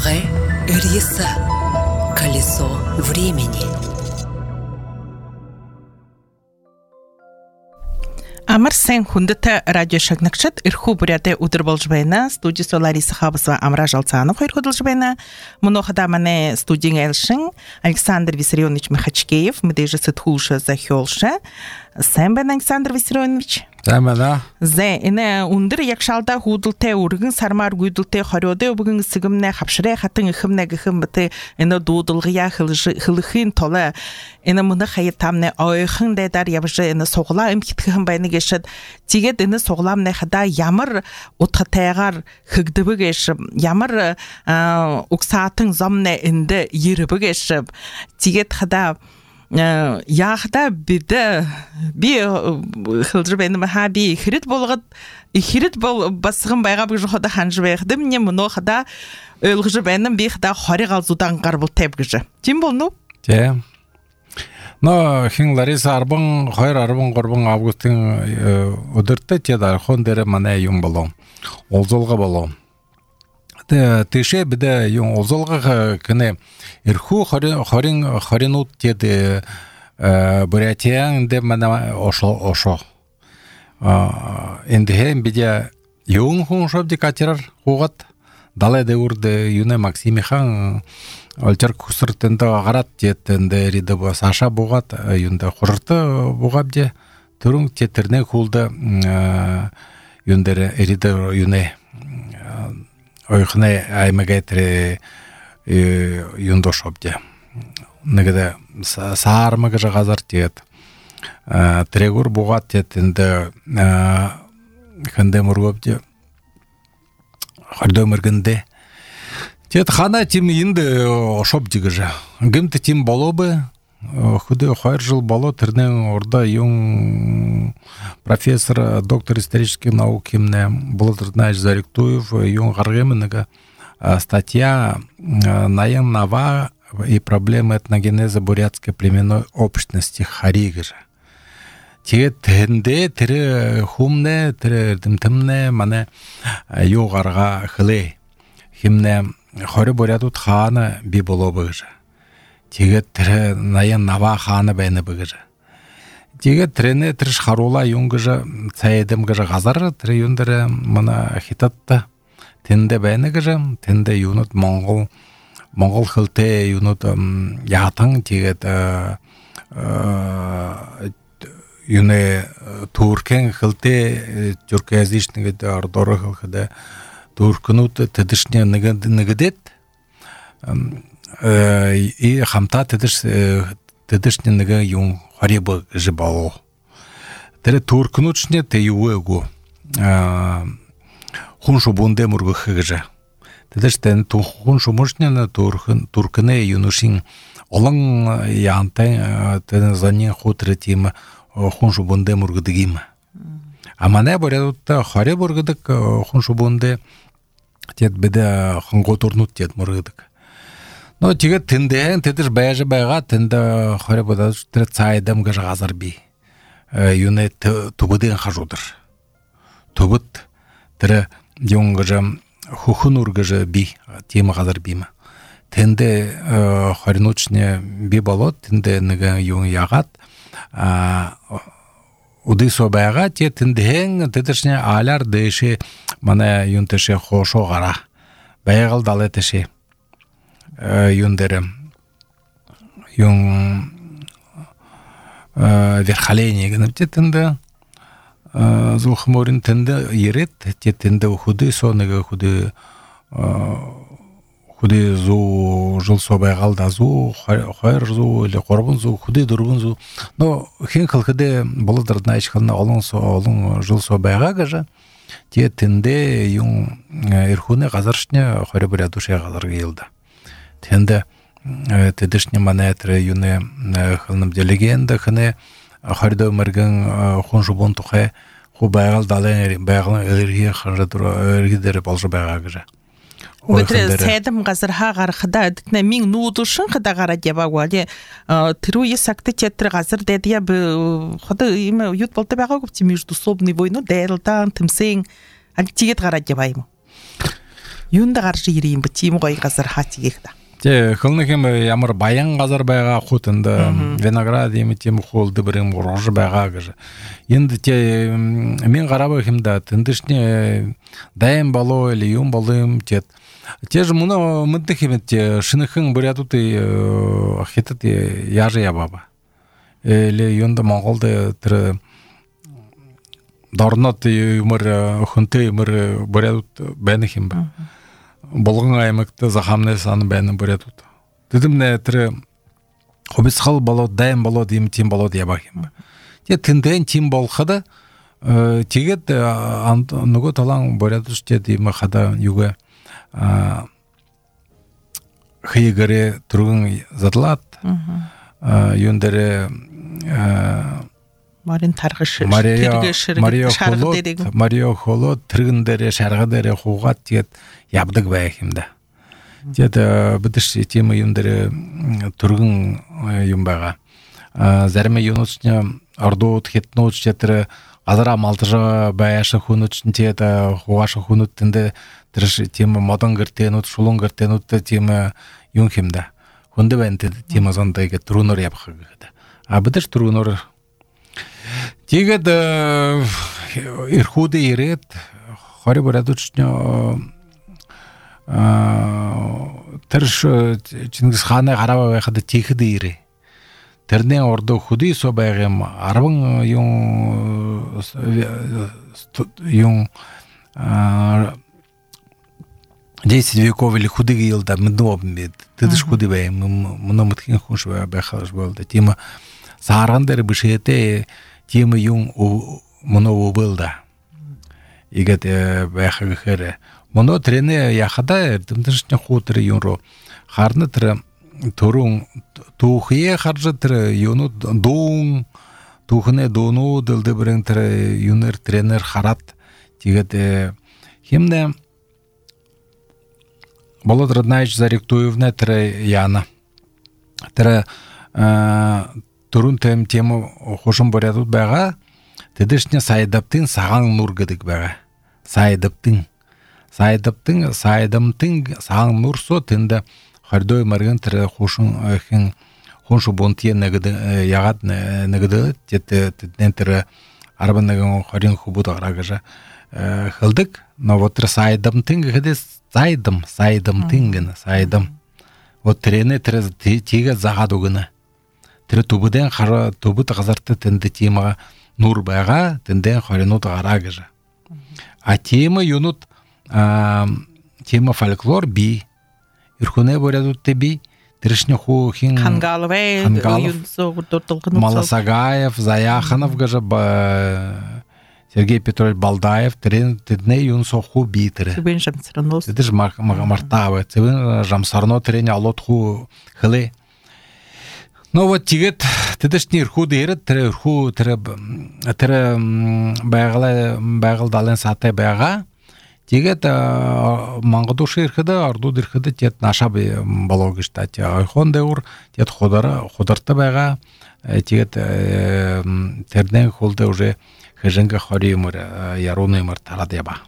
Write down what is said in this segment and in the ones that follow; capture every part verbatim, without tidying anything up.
Лаге Риса. Колесо времени. Амар сайн хүндэт радио шагнагчид эрхүү бүрядэ өдөр болж байна. Студиэс Лариса Хабсова Амра Жалцаанов хоёр хөдөлж байна. Мөн ухада манай студийн элшин Александр Виссарионович Махачкеев, мэдээж сэтгүүлш захиолш. Сайн байна Александр Виссарионович. Сайн байна. Зэ энэ өндөр ягшаалда хүүдэлтэй өргөн сармаар гүйдэлтэй хориодой бүгэн сэгэмнэ хавшрэ хатан ихэмнэ гэхэм бэтэ энэ дуудалгая хылхийн толы энэ мөн хаяа тамны ойхон дэдар явж энэ суглаа эмхтгэн байна гэшэд тэгээд энэ суглаамны хада ямар утгатайгаар хэгдэбэгэш ямар угсаатын зомны энд ербэгэш тэгээд хада яахта бид би хэлж байна хаби хэрэд болгоод хэрэд бол басган байгаа гэж хада ханж байхдаа миний мөнөө хада ойлгож байна би хада хориг алзуудан гарбал тавь гэж тийм болно тийм но хин Лариса арбан хоёр арбан гурван августын өдөртөө тэд архон дээр манай юм болов олзолго болов тэ тэшэ бид юм олзолго кэнэ эрхүү хорин хоринууд тэд Бурятиян дэ манай ошо ошо энд хэм бидя юм хүн шобди катерар хугат далай дэурд юне Максимихан олчар кусыртэнда гарат тетэнде риде Саша бугат юнда хурты бугабде түрүн тетерне хулда юндер риде юне ойхне аймагатре юндо шобде негде саармага газар тет трегур бугат тетэнде ханде мургобде хардомергенде тет хана тим инде ошобди гыжа гэмт тим болобы худы хоёр жыл боло тэрнен орда юн профессор доктор исторических наук кимне Болотырнай Заректуев юн гаргемнага статья «Наем Нава и проблемы этногенеза бурятской племенной общности Харигыжа». Тет тенде тире хумне тире димтемне мане югарга хле химне хори бурятут хана би болобыжа. Тегет тире Наем Нава хана бэне быгыжа. Тегет тирене тириш харула юнгыжа цаедем гыжа газар тире юндере мана хитатта тенде бэне гыжа тенде юнут монгол монгол хылте юнут ятан тегет юне туркен хылте тюркоязычный ордоры хылхыда туркнут тедишне негедет и хамта тедиш тедишне неге юн харибы жибало тере туркнучне те юего хуншу бунде мургыхыжа тедиштен хуншу мушне на туркын туркыне юнушин олон янтай тен занин хутретим хуншу бунде мургыдыгим амане борядутта харе бургыдык хуншу бунде тет беде ханготурнут тет мургыдык но тигет тенден тедиш байжа байга тенде харе бода тре цайдам гаж газар би юне тугуден хажудыр тугут тре юнгажа хухунур гаж би тема газар бима тенде харинучне би болот тенде неге юн ягат удисо байга тенден тедишне алар дэше мана юнтеше хошо гара байгал далетеше юндере юн верхаление гэнэвте тенде зулхморин тенде ерет тенде худы сонеге худы худы зу жыл собайгал да зу хайр зу или корбун зу худы дурбун зу но хин кылкыды Болотырнай ичхана олон со олон жыл собайга гажа те тенде юн эрхуне газаршне хоры бурядуше газар гелда тенде тедишне манетре юне хылным легенда хне хордо мерген хунжубун тухе хубайгал дален байгал эрги ханжадыр эргидер болжо байга гажа Өтре сайдам газарха гарахда дикне мин нуудушын хада гара дебагвали тру есакты тетр газар дедия б хада има ют болта бага гопти междусобный войну дэлтан тимсен альтигет гара дебайм юнда гаржы ирейін бітейім ғой қазір хатигекті. Те хылныкем ямар баян газар байга хутында виноград эми тем холды бирим рожы байга гыжы. Енді те мен карабы химда тындышне дайым бало или юм балым тет. Те же муно мынды химет те шыныхын бурятуты хитат яжы ябаба. Или юнда монголды тиры дарнат юмыр хунты юмыр бурятут бәні химба. Болгон аймакта захамны саны бәні бурятут. Дедім не тиры хобисхал бало дайым бало дейм тим бало яба химба. Те тінден тим болхады тегет нуго талаң бурятуш те деймі хада юга хыйгаре тургун затлат юндере Марин таргышы Мария Холод Мария Холод тиргиндере шаргадере хугат тет ябдык байхимда. Тет битиш тема юндере тургун юмбага. Зарме юнучня ордот хетноч четре азара малтыжа баяшы хунучн тет хугашы хунуттинде тириш тема модан гертенут шулун гертенут тема юнхимда. Хунде бенте тема зондайга турунор ябхагыда. А битиш турунор Тегет ирхуды ирет, хори бурадучня тырш Чингисханы караба байхады тихиды ире. Терне ордо худы со байгем арбын юн юн десять веков или худы гилда мдобмед. Тыдыш худы байм, мно мытхин хуш байхалыш болды. Тема сааргандары бишете тема юн мно убылда. Игет байхагы хере. Мно трене яхада дымдышня хутыр юнро. Харны тре турун тухие харжы тре юну дун тухне дону дылды бірін тре юнер тренер харат. Тигет химне Болот Роднаевич Заректуевна тре яна. Тре турун тем тему хошым борядут бага, тедешне сайдаптын саған нур гыдык бага. Сайдаптын. Сайдаптын, сайдамтын саған нур со тында хардой марган тірі хошын хин хоншу бонтие негыды ягат негыды тетнен тірі арбан неген хорин хубут аграгажа хылдык, но вот тірі сайдамтын гыды сайдам, сайдамтын гына, сайдам. Вот тірене тірі тиге загаду гына. Тірі тубыден қара тубыт ғазарты тінді темаға нұр байға, тінден хоринут ғарагыжа. А тема юнут, тема фольклор би. Ирхуне борядут те би. Тірішне ху хин... Хангалове, Маласагаев, Заяханов гажа, Сергей Петрович Балдаев, тідне юн соху би тірі. Цибин жамсарнос. Тідіж мартавы. Цибин жамсарно тіріне алот ху хылы. Ну вот тигет тедешни ирхуды ерет тире ирху тире тире байгала байгал дален сате байга тигет мангадуши ирхиде арду ирхиде тет наша балогишта те айхон дeur тет ходара ходарта байга тигет терден холде уже хеженга хоримур ярунымыр тарадеба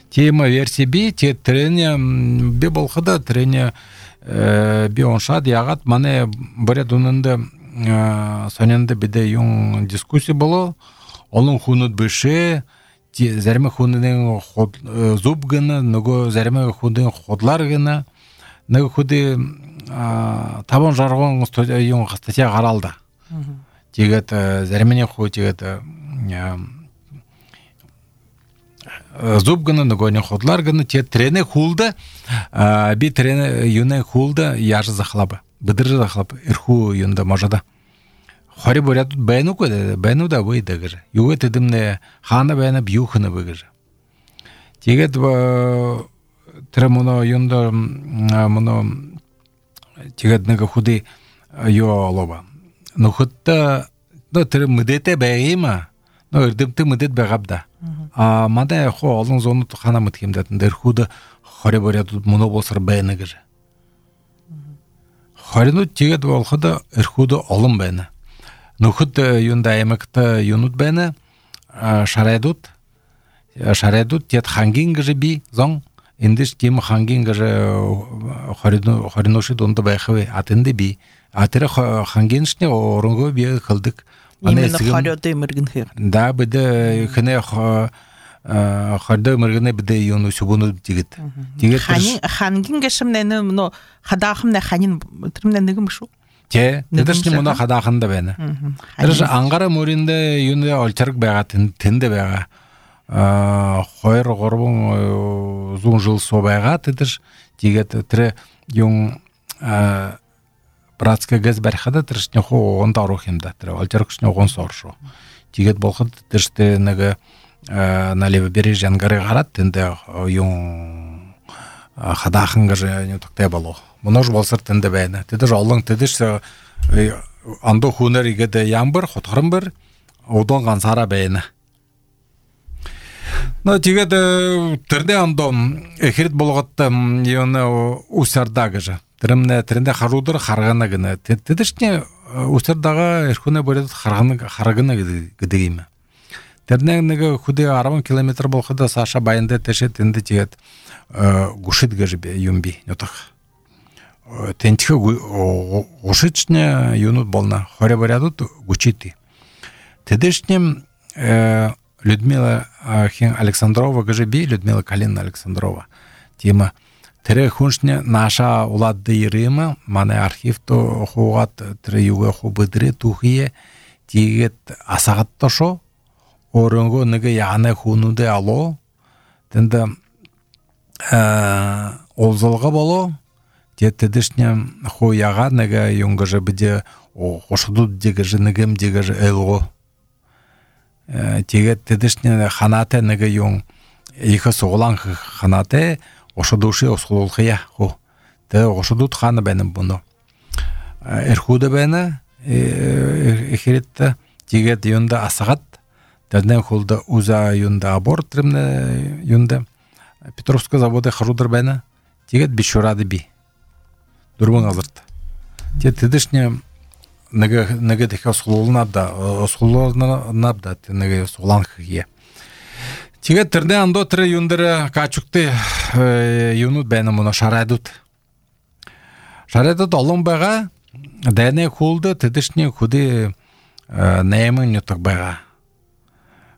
тема версия би тет трене би болхада трене бионшад ягат мане борядунында сонянда биде юн дискуссия было олон хунут быше зәрме хунның зуб гына нөгөө зәрме хунның ходлар гына нөгөө худи табан жаргон юн статья каралды тегет зәрмене ху тегет зуб гына нөгөө не ходлар гына те трене хулда би трене юне хулда яжы захлабы быдыр захлап ирху юнда можада хори борят бэну коде бэну да вы дагыр юге тедимне хана бэна бьюхна быгыр тегет тремоно юнда моно тегет нега худи yo лоба но хутта да тре мдете бэйма но ирдимте мдет бэгабда а мада хо олон зонут хана мыткемдатын дерхуда хори борят моно болсар бэна гыр хорину тегет болхада ирхуда олон бэна Нухут юнда эмекта юнут бэна шаредут шаредут тет хангин гжи би зон индиш тим хангин гаже харино хариноши донда байхаве атынды би атыра хангиншне оронго би кылдык именно харёды мыргынхыр да биде хне харды мыргыны биде юну субуну дигит дигит ханин хангин гешмнени но хадахымна ханин тримнен нигим шу те тедешни мона хадахында бени тедеш аңгара мөринде юну олчарык байга тенде байга хойр горбун зун жыл собайга тедеш дигет тре юн братская газ бархада трешне хо он тарухимда тре олчарыкшне он соршу дигет болхот теште неге на левобережье ангары гарат тенде юн хадахынга же не токте боло Монож болсыр тенде бәйне. Тедеш аллың тедеш андо хунер игеде ямбыр, хотхырым бір, одан гансара бәйне. Но тигеде терде андо эхирит болготта юны усардагы же. Тиремне теренде харудыр харгана гына. Тедешне усардага эрхуне бөлөт харганы харгына гидегиме. Терне неге худе арбан километр болхада Саша байында теше тенде тигет гушит гыжбе юмби нотах. Тентихе гушичне юнут болна хоре борядут гучити. Тедешнем Людмила Хин Александрова гажеби Людмила Калина Александрова. Тима тере хуншне наша уладды Ирыма мане архив то хугат тере юга хубыдре тухие тигет асагат тошо орынго неге яны хунуде ало тенде олзолга боло Тедешне хуяга неге юнгаже биде ошудут дегеже негем дегеже элго. Тегет тедешне ханате неге юн иха соглан ханате ошудуши осулулхия ху. Те ошудут хана бенем буно. Эрхуде бене эхиритте тегет юнда асагат теден хулда уза юнда аборт ремне юнда Петровская завода харудыр бене тегет бишурады би. Дурбан азырт. Те тедешне неге неге теха сулулнабда, сулулнабда неге суланхие. Тиге терде андо тре юндere качукты юнут бена мона шарадут. Шарадут алон бага дене хулды тедешне худи немен нютак бага.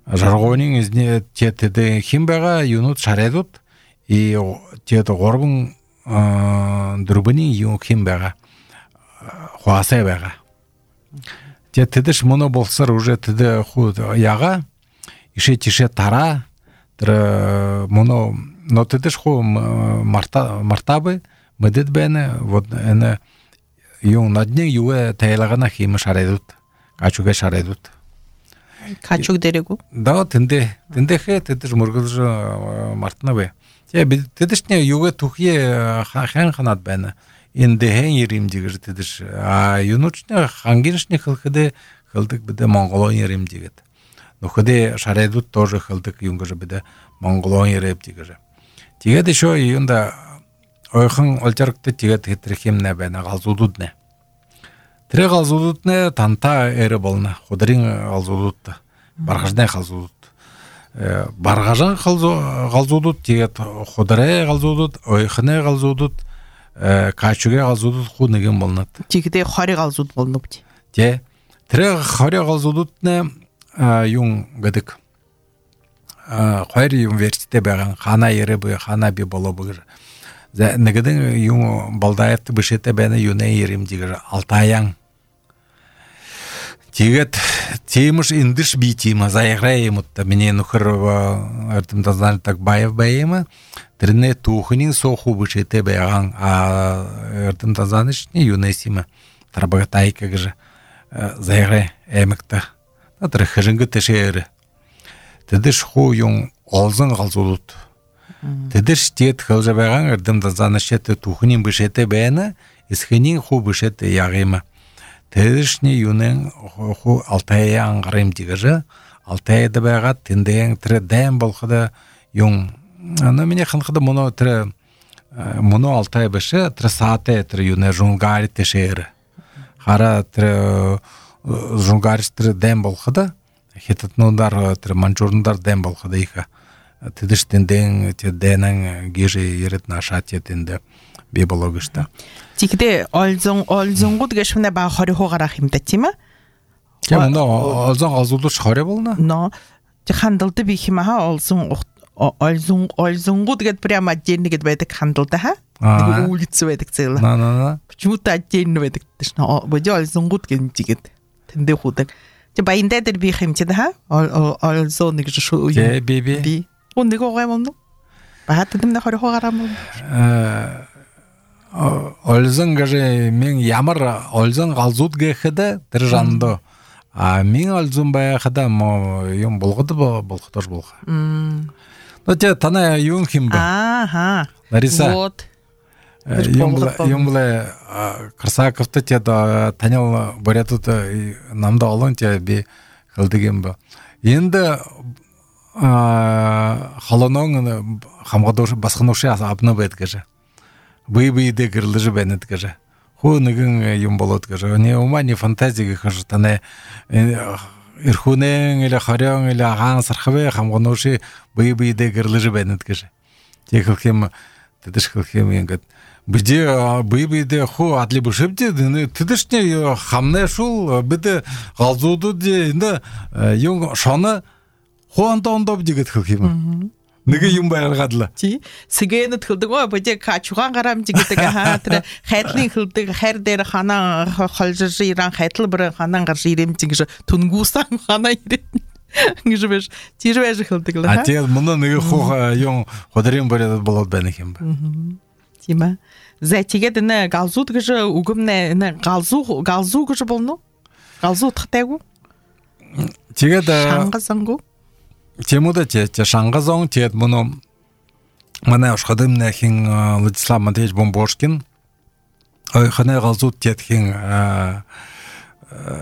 Жаргонин изне те теде хим бага юнут шарадут и те горбун Друбани юнхим бага хуасе бага. Те тедеш моно болсар уже теде худ яга ише тише тара тра моно но тедеш ху марта мартабы медет бене вот эне юн на дне юе тайлагана хим шаредут качуга шаредут качуг дерегу да тенде тенде хе тедеш мургылжа мартна бе те тедешне юга тухие хан ханат бене инде хен ерим дигер тедеш а юнучне хангиншне хылхыде хылдык биде монголон ерим дигет но ходе шаредут тоже хылдык юнгаже биде монголон ереп дигер тигет еще юнда ойхан олчарыкты тигет хитрихимне бене галзудудне тре галзудудне танта эре болна ходырин галзудудта баргажне галзудут баргажан галзудут тигет ходыре галзудут ойхне галзудут качуге галзудут хунеген болнат тигде хари галзуд болнупти те тре хари галзудутне юн гадык хайри университете баган хана ере бу хана би боло бугыр негеден юн балдаевты бишете бене юне ерим дигер алтаян тигет темыш индиш битима заиграемутта мене нухыр артымда знали так баев баема трне тухнин соху бишете баган а артымда занышни юнесима тарбагатайка гже заигре эмекта атыр хыжынгы тешере тедеш ху юн олзын галзулут тедеш тет хылжа баган артымда занышете тухнин бишете бене исхинин ху бишете ягыма тедешни юнен ху алтая аңгарым дигеже алтайда бага тенден тре дем болхада юн ана мене ханхада моно тре моно алтай беше тре саате тре юне жунгари тешере хара тре жунгари тре дем болхада хетатнондар тре манчурндар дем болхада иха тидиштенден те денен геже ерет наша тетенде бе бологышта. Тикде олзон олзонгуд гэшмне ба хори хогарах юмда тийм ээ. Кем но олзон алзулдуш хоре болна? Но те хандалды би химаха олзон олзон олзонгуд гэд прямо отдельно гэд байдаг хандалда ха. Нэг улиц байдаг цэла. На на на. Почему-то отдельно байдаг тэшна. Бодё олзонгуд гэнжигэд тэндэ худаг. Те баяндаа дээр би хэмчээ да ха. Олзон нэг шүү. Те би би. Би. Нэг огоомно. Баат дэмнэ хори хогарам. Э олзон гаже мен ямар олзон галзууд гэхэд тэр жандо. А мен олзон байхада мо юм болгоду болготор болго. Мм. Но те тана юм химба. Ааха. Лариса. Вот. Юмле Красаковты те да танял борятут намда олон те би хылдыгем ба. Енді халонон хамгадош басханоши абны бет каже. Бый-бый де кырлыжы бенет каже. Ху нэгэн юм болот каже. Не ума не фантазия каже тане ирхунен или харян или агаан сархаве хамганоши бый-бый де кырлыжы бенет каже. Те хылхем тедеш хылхем ингээд Биде бый-быйде ху адли бушепте тедешне хамне шул биде галзуду де инде юм шаны хуанта ондоп дигет хылхем. Неге юм байргадла. Ти сигээнэт хылдаг оо биде качуган гарам дигетэг хаа тэр хайтлын хылдаг хайр дээр ханаа холжиж иран хайтл бүр ханаа гарч ирэмч гэж түнгүүсэн ханаа ирэн. Ингэж биш тэр байж хылдаг л хаа. А тэр мөн неге ху юм ходрын боряд болоод байна юм ба. Тима. За тэгээд нэ галзууд гэж үгэмнэ нэ галзуу галзуу гэж болно. Галзуу тахтайгу. Тэгээд шангасангу. Темуда те те шангазон те мөн манай ушхадымны хин Владислав Матвеевич Бомбошкин ой хана галзууд те хин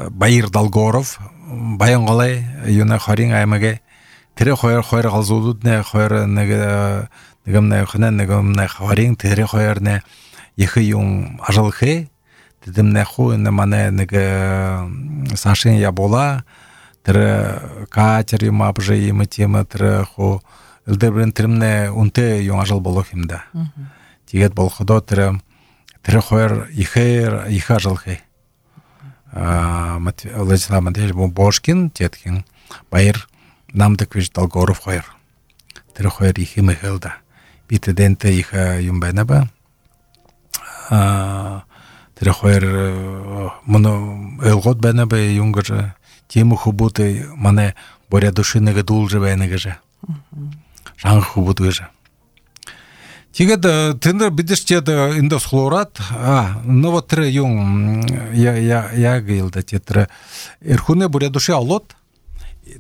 Байыр Долгоров Баянголай юна харин аймаге тэр хоёр хоёр галзуудууд нэ хоёр нэг нэгэмнэ хана нэгэмнэ харин тэр хоёр нэ их юм ажалхэ тэдэмнэ ху нэ манай нэг Сашин Ябола тэр катер юм апжэ юм тема тэр ху элдебрен тэрмнэ үнтэй юм ажал болох юм да. Тэгээд болохдоо тэр тэр хоёр ихэр их ажалхэ. А Владислав Матвеевич Бомбошкин тетхин Байыр Намдаквич Долгоров хоёр. Тэр хоёр их юм хэлда. Битеденте их юм байна ба. А тэр хоёр моно элгот байна ба юм гэж тему хубуты мане боря душинеге дулжы байна гэж. Шан хубут гэж. Тэгээд тэнд бидэрчээд эндос хлорат а но вот тэр юм я я я гэлдэ тэр эрхүнэ боря души алот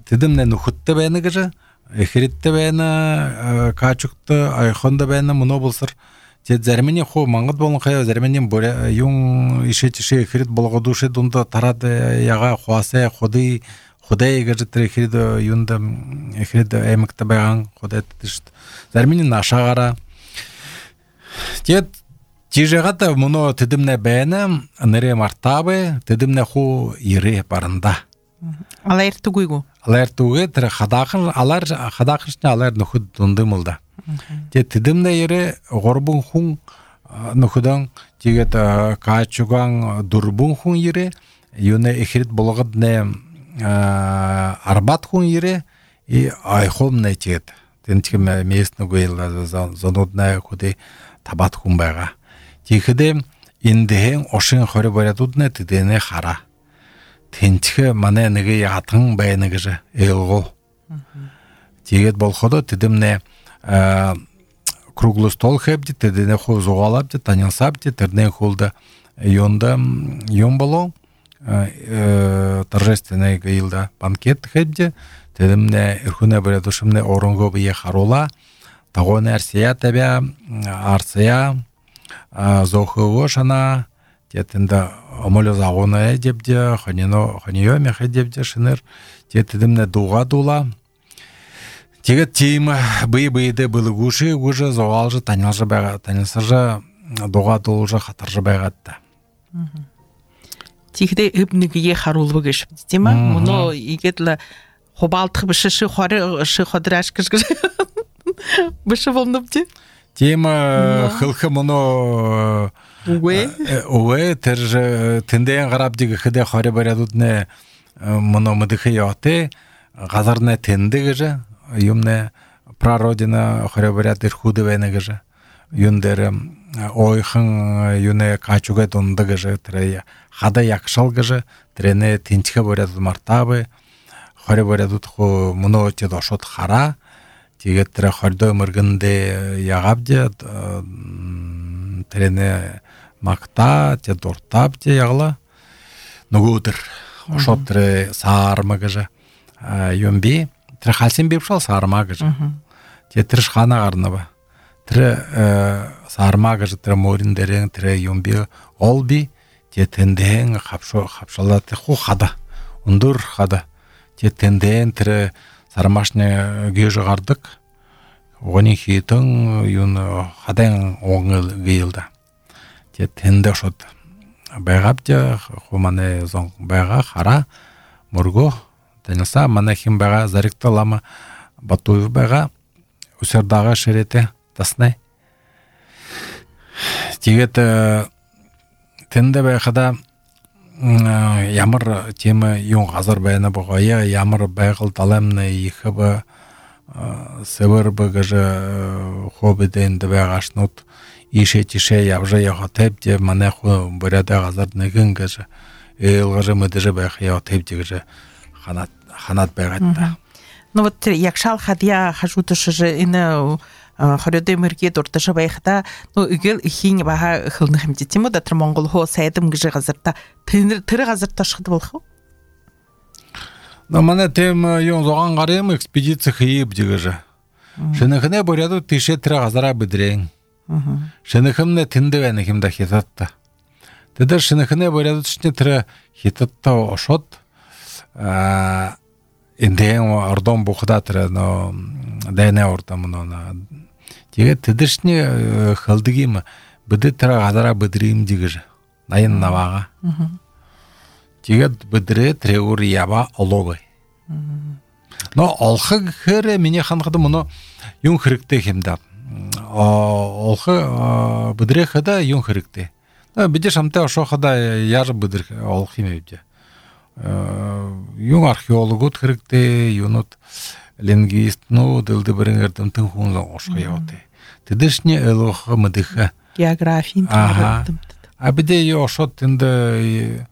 тэдэмнэ нөхөттэй байна гэж эхрэттэй байна качукты айхонда байна моно болсор Те зармени хо мангад болон хая зармени боря юм ишет ше эхрет болгодуше дунда тарад яга хуасе ходы Худай гэж тэр эхрет юнда эхрет эмэгтэй байгаа худай тэшт зармени нашаагаараа Тэгэд жижигата моно тэдэмнэ байна нэрэ мартабе тэдэмнэ ху ирэ баранда Алар тугуйгу Алар тугэ тэр хадаахан алар хадаагчны алар нөхөд дундымылда Тэгэд тэдэмнэ ирэ горбун хүн нөхөдөн тэгээд качуган дурбун хүн ирэ юнэ эхрет болгод нэ арбат хүн ирэ и айхом нэ тэгэд тэнчгэ местнэгүй зоноднаа хөдөө табат хүн байгаа. Тэгэхдээ эндхэн ошин хорь бариадуднэ тэдэнэ хара. Тэнчгэ манай нэг ятан байна гэж элгоо. Тэгээд болоходо тэдэмнэ круглый стол хэбди тэдэнэ хуу зугалабди танилсабди тэрнэн хулда юнда юм болоо торжественный гилда банкет хэбди тэдэмнэ эрхүнэ бариадушмнэ оронгоо бие харула Тагонер сия тебя арсия зохово шана тетенда амоло загона депде ханино ханио меха депде шинер тетедемне дуга дула Тегет тим бый-быйде былыгуши уже зоалжы танялжы бага танылсыржы дуга дулжы хатаржы багатта Тихде эбнигие харулбы гэш тема муно игетла хобалтх бишши хоры ши ходраш гэж Бышы болнупти? Тема хылхы мұны Уэ? Уэ, тір тіндейін қарап деге хыде қары барядудны мұны мұдықы яты, ғазарны тінді гыжы, юмны прародина қары баряд ирхуды вәні гыжы, юндері ойхын юны качуға тонды гыжы, тірі хада якшал гыжы, тірені тінчігі барядуд мартабы, қары барядуд мұны өте дошот қара, тегет тірі қарды өміргінді яғабде, тірені макта, те дортап, те яғла, нұғудыр, ошот тірі саарма гыжы, юмби, тірі қалсен беп шал саарма гыжы, те тірі шхана ғарнабы, тірі саарма гыжы, тірі моріндерің, тірі юмби, олби, те тендең қапшалда те ху қада, ұндыр қада, те тендең тірі сармашны гүйжі ғардық, оғын хейтің юн қадаң оңы гейілді. Те тенде шот байғап де, ху маны зоң байға қара, мұрго, тәнілса, маны хим байға зарикті лама батуев байға, үсердағы шереті таснай. Тегет тенде байқада ямыр темі юн ғазар байына бұғая, ямыр байғыл таламны ехі бі сывыр бі ғыжы хобидейінді байғашнут, ише-тише явжа яғатайп де, мане ху бұряда ғазарды гін ғыжы, елғыжы мүдіжі байқы яғатайп де ғыжы ханат байғатты. Ну вот якшал хадия хажутышы же ині хорёды мөрге дұртышы байқыда, ну үгел ихин баға қылны хімдетімі, да тұр Моңғол хо сайдым ғыжы ғазырда, тірі ғазырда шықты болқы? Ну, мане тем юн зоған қарем экспедиция хиып де ғыжы. Шынықыне бұряду тише тірі ғазара бідрейін. Шынықымне тінді вәні кімді хитатты. Теді шынықыне бұряду түшіне тірі хитатты ошот, индейін ордон бұқыда тірі, дәйне ордамын. Теге тедішіне қылдығым, бүді тірі ғазара бідрейім дегіжі, найын наваға. Теге бүдірі тірі ұр яба оловы. Но олқы кірі мене қанқыды мұны юн қырыкты кемді. Олқы бүдірі қыда юн қырыкты. Біде шамты ошо қыда яжы бүдір олқы мебде. Юн археологут қырыкты, юнут лингвист, ну, дылды бірін әрдім тің хуынзан ошқы яуты. Тедішіне әліғі мұдықы. Географиин тәріптім. А біде ошот тінді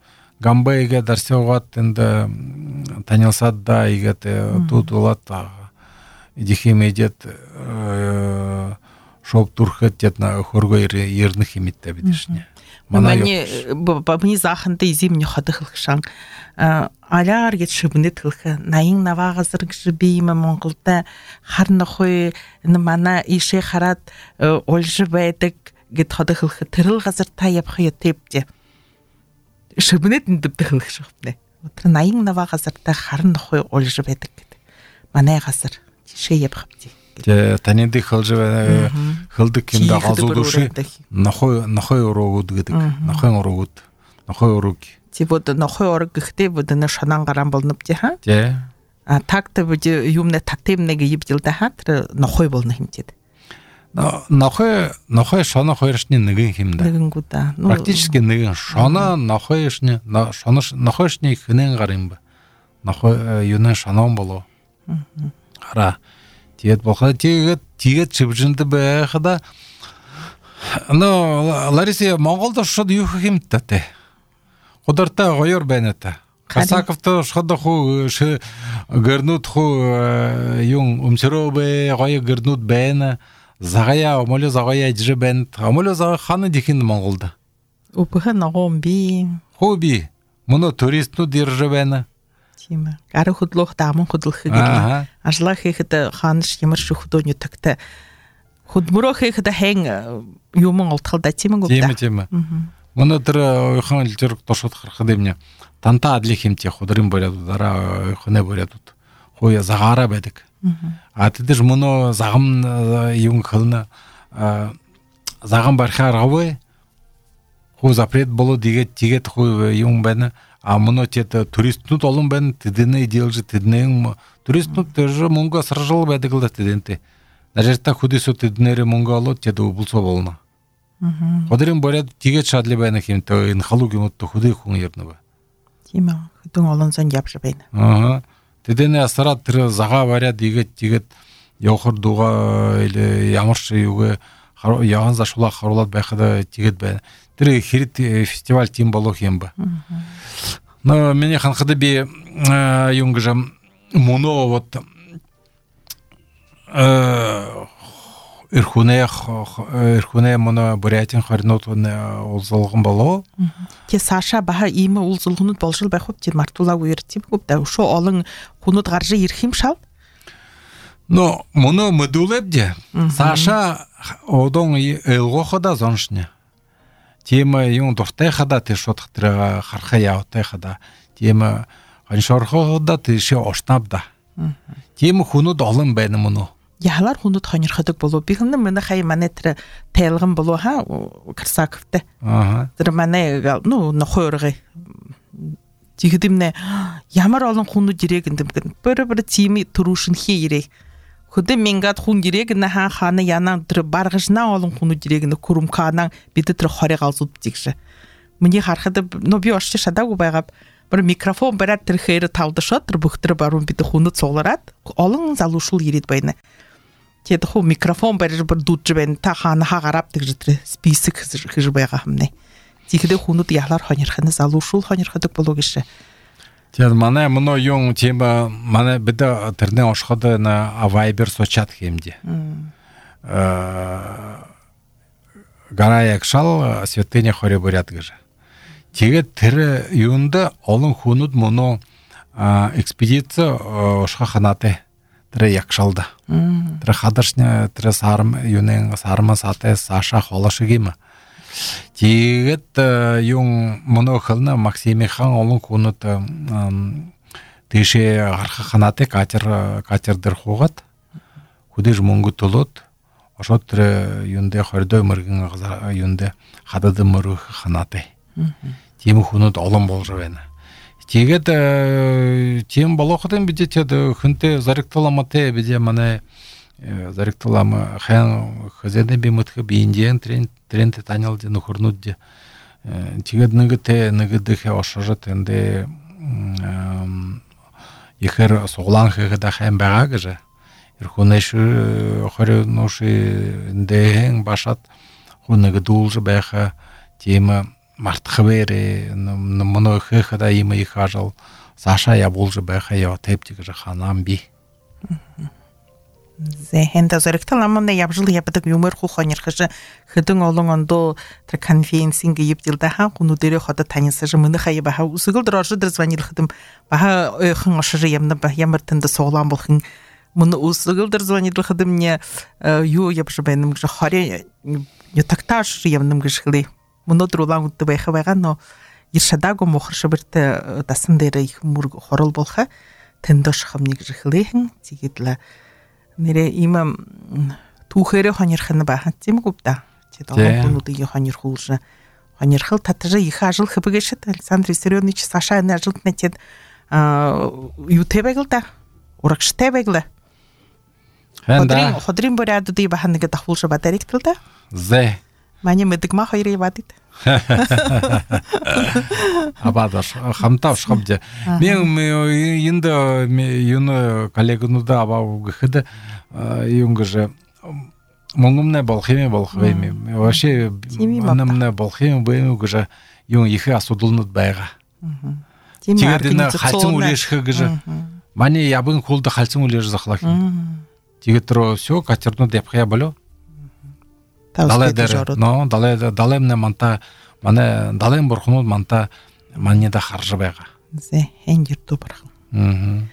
Гамбайға дарсе оғат тінді танилсад да егет тут олат идихим едет шоп турхет детна хорго ерных имитте бидишне. Мане бабни захынды изим не хады хылхшан. Аляр гет шыбны тылхы. Найын навағызыр гжібеймі Монғылда харны хой мана ише харат олжы байдық гет хады хылхы. Тырыл ғазыр тайып хой тепте. Шыбынет үндіпті қылық шығыпны. Отыр найың нава ғазырда қарын қой олжы бәдік кеді. Манай ғазыр, ше еп қыпты. Таненді қылжы қылдық кемді ғазу дұшы, нахой ұрығуд кедік, нахой ұрығуд, нахой ұрығы. Те бұды нахой ұрығы кіхте бұдыны шанан қаран болынып де, ха? Те. Такты бұды юмны таттемнеге ебділді, ха? Тірі нахой болыны хем деді. Нахой, нахой шана хойрышне нығын хемді. Нығын құда. Практически нығын. Шана нахой ішне, нахой ішне хінен қарым бы. Нахой юнен шанан болу. Қара. Тегет болқада, тегет, тегет шыбжынды бәқыда. Лариса, Монғолда шуды юхы хемді тәті. Құдырта ғойыр бәнеті. Қасаковты шуды ху гырнут ху юн умсыру бә, ғойы гырнут бәні. Зағая, омолы зағая әджі бәнд, омолы зағая қаны декенді Монғолда. Опығы нағым би. Хоби, мұны туристну держі бәні. Тема. Ары худлох дамын худлықы келі. Ажла хейхіді қаныш емірші худоны түкті. Худмұро хейхіді хәң юмын олтқылда темі көпті. Темі, темі. Мұны түрі ойхан үлтерік тошыт қырқы деміне. Танта адлі хемте худырым бөлядуд, ара ойхыне бөлядуд. Хоя зағара бәдік. А тедіж мұны зағым ең қылыны зағым бархи арғауы ху запрет болу дегет тегет ху ең бәні а мұны тет туристнут олым бәні тедіне идеалжы тедіне ең туристнут тежі мұнға сыржыл бәді қылды теденті Нажерта худисот эднере монголо теда убулсо болно. Ходырын боряд тиге шадли байна хим то ин халугимот то худы хүн ярнава. Тийм ээ. Хөдөн олон сан явж байна. Аа. Тэдэне асараад тэр зага бариад игээд тэгээд явахар дуга или ямар ч юугээ яван зашуулаа харуулаад байхад тэгээд байна. Тэр хэрэг фестиваль тийм болох юм ба. Но миний ханхад би юм гэж моно вот э эрхүнээ эрхүнээ моно Бурятин хорнууд уулзалган болоо. Тэ Саша баха ийм уулзалганууд болшил байх уу тийм мартуулаг үер тийм үү да өшөө олон хүнүүд гарж ирэх юм шал. Но моно модулебде Саша одон элгохода зоншне. Тема юм дуртай хада тэр шууд тэр харха явтай хада. Тема ханшорхода тийш оштабда. Тема хүнүүд олон байна моно. Яалар хүнүүд хонирхдаг болов би хэн манай хай манай тэр тайлган болов ха Красаковтэй. Аа. Тэр манай ну нохойргой. Жигдэмнэ ямар олон хүнүүд ирэг гэндэм. Бэр бэр тими төрүүшин хий ирээ. Хөдөө мингад хүн ирэг на ха хана янаа тэр баргажна олон хүнүүд ирэг нэ күрүмкаанаа бид тэр хорыг алзууд зигш. Миний харахад но би орч шадаагүй байгаа. Бэр микрофон бараад тэр хээр тавдашаа тэр бүхтэр баруун бид хүнүүд цуглараад олон залуушул ирээд байна. Тэгэд хөө микрофон барьж бүр дуудж байна. Та хаана хагарав гэж тэр список хийж байгаа юмнэ. Тэгэхдээ хүнүүд ялаар хонирхны залуушул хонирхдаг болов гэж. Тэгээд манай моно юм тема манай бид тэрнээ ошход на Viber сочат хэмди. Аа гараа ягшал святыня хорё бурят гэж. Тэгээд тэр юунда олон хүнүүд моно экспедиция ошхо ханатай тэр ягшалда. Тэр хадаршны тэр сарм юунын сарма сатай Саша холошиг юм. Тэгээд юм моно хэлна Максими хан олон хүнүүд тийшээ гарах ханатай катер катер дээр хуугаад хүдэж мөнгө төлөөд ошоо тэр юундэ хордой мөргөн юундэ хадад мөрөх ханатай. Тийм хүнүүд олон болж байна. Тэгээд тийм болоход бид тэд хүнтэй заригталаматай бид манай заригталам хан хазэдэ бимэтхэ бииндиэн тренд тренд танял дэ нөхөрнүүд дэ тэгээд нэгтэй нэгдэх ошожот эндэ ихэр суглан хэгэдэ хан байгаа гэж эрхүнэш хорёноши эндэ башат хүнэг дуулж байха тийм мартхвэрэ моно хэхэда им их ажил Саша я болж байха я тэптиг гэж ханам би. Зэхэнда зэрэгталамна явжил ябдаг юмэр хухонирхэж хэдэн олон ондоо тэр конференцинг ивдэлдэ хан хүнүүдэрэ хада таньсаж мөнх хай баха үсгэл дөрөж дэр званилхэдэм баха ойхон ошир ямна ба ямар тэнд суглан болхон мөн үсгэл дэр званилхэдэм не юу явж байнам гэж хорё ятакташ ямнам гэж хэлээ мөнөдөр улаан үдэ байха байгаа но иршадааг мохор шибэртэ дасан дээр их мөрг хорол болха тэндош хамныг хэлэхэн зигэдлээ нэрэ има түүхэрэ хонирхна баха тийм үү да. Тэд олон хүнүүдийг хонирхуулж хонирхал татжа их ажил хэвгэшэт Александр Виссарионович Саша ажилд нэтэд а юу тэбэгэл да. Урагштай бэглэ. Ходрин ходрин боряд ди баха нэг давхуулж бадаригтэл да. Зэ. Маний мэдгма хоёрыг бадит. Абадаш хамтав шхабде. Мен энд юн коллегнуда абав гэхэд юм гэж монгомны болох юм болох юм. Вообще монгомны болох юм бэм гэж юм их асуудалнууд байгаа. Тэгээд энэ халцсан үлээшх гэж маний ябын хулд халцсан үлээж захлах. Тэгээд роо всё катернууд явхая болоо. Далайдэр но далай далаймна манта манай далайн бурхнууд манта маньяда харж байгаа. Зэ хэн YouTube барах. Аа.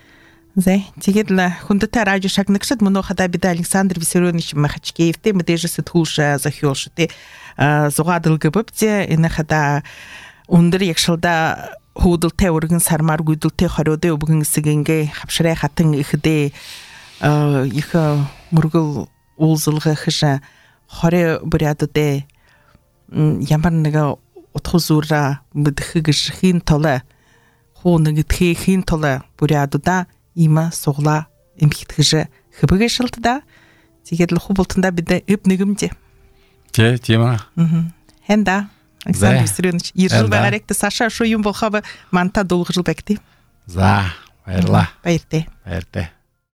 Зэ тэгээд л хүндэтэй радио шагнагчд мөнөө хада бид Александр Виссарионович Махачкеевтэй мэдээж сэтгүүлш захиулш тэ зугаадл гэбэвчээ энэ хада өндөр ягшилда хүүдэлтэй өргөн сармаар гүйдэлтэй хориодын өвгөн сэгэнгээ хавшрай хатан ихдээ их мөргөл уулзалга хэш хорё буряддэ ямар нэг утхузуура мэдхэгш хийн толой хуу нэг тхи хийн толой бурядда има сугла эмхтгэж хэбгэшэлтда Тигедл хубултында биде ыпнигимде. Те, тема. Мгм. Хенда. Александр Виссарионович, иржил багаректе Саша шо юм болхабы манта долгы жыл бекти. За, байырла. Байырте. Байырте.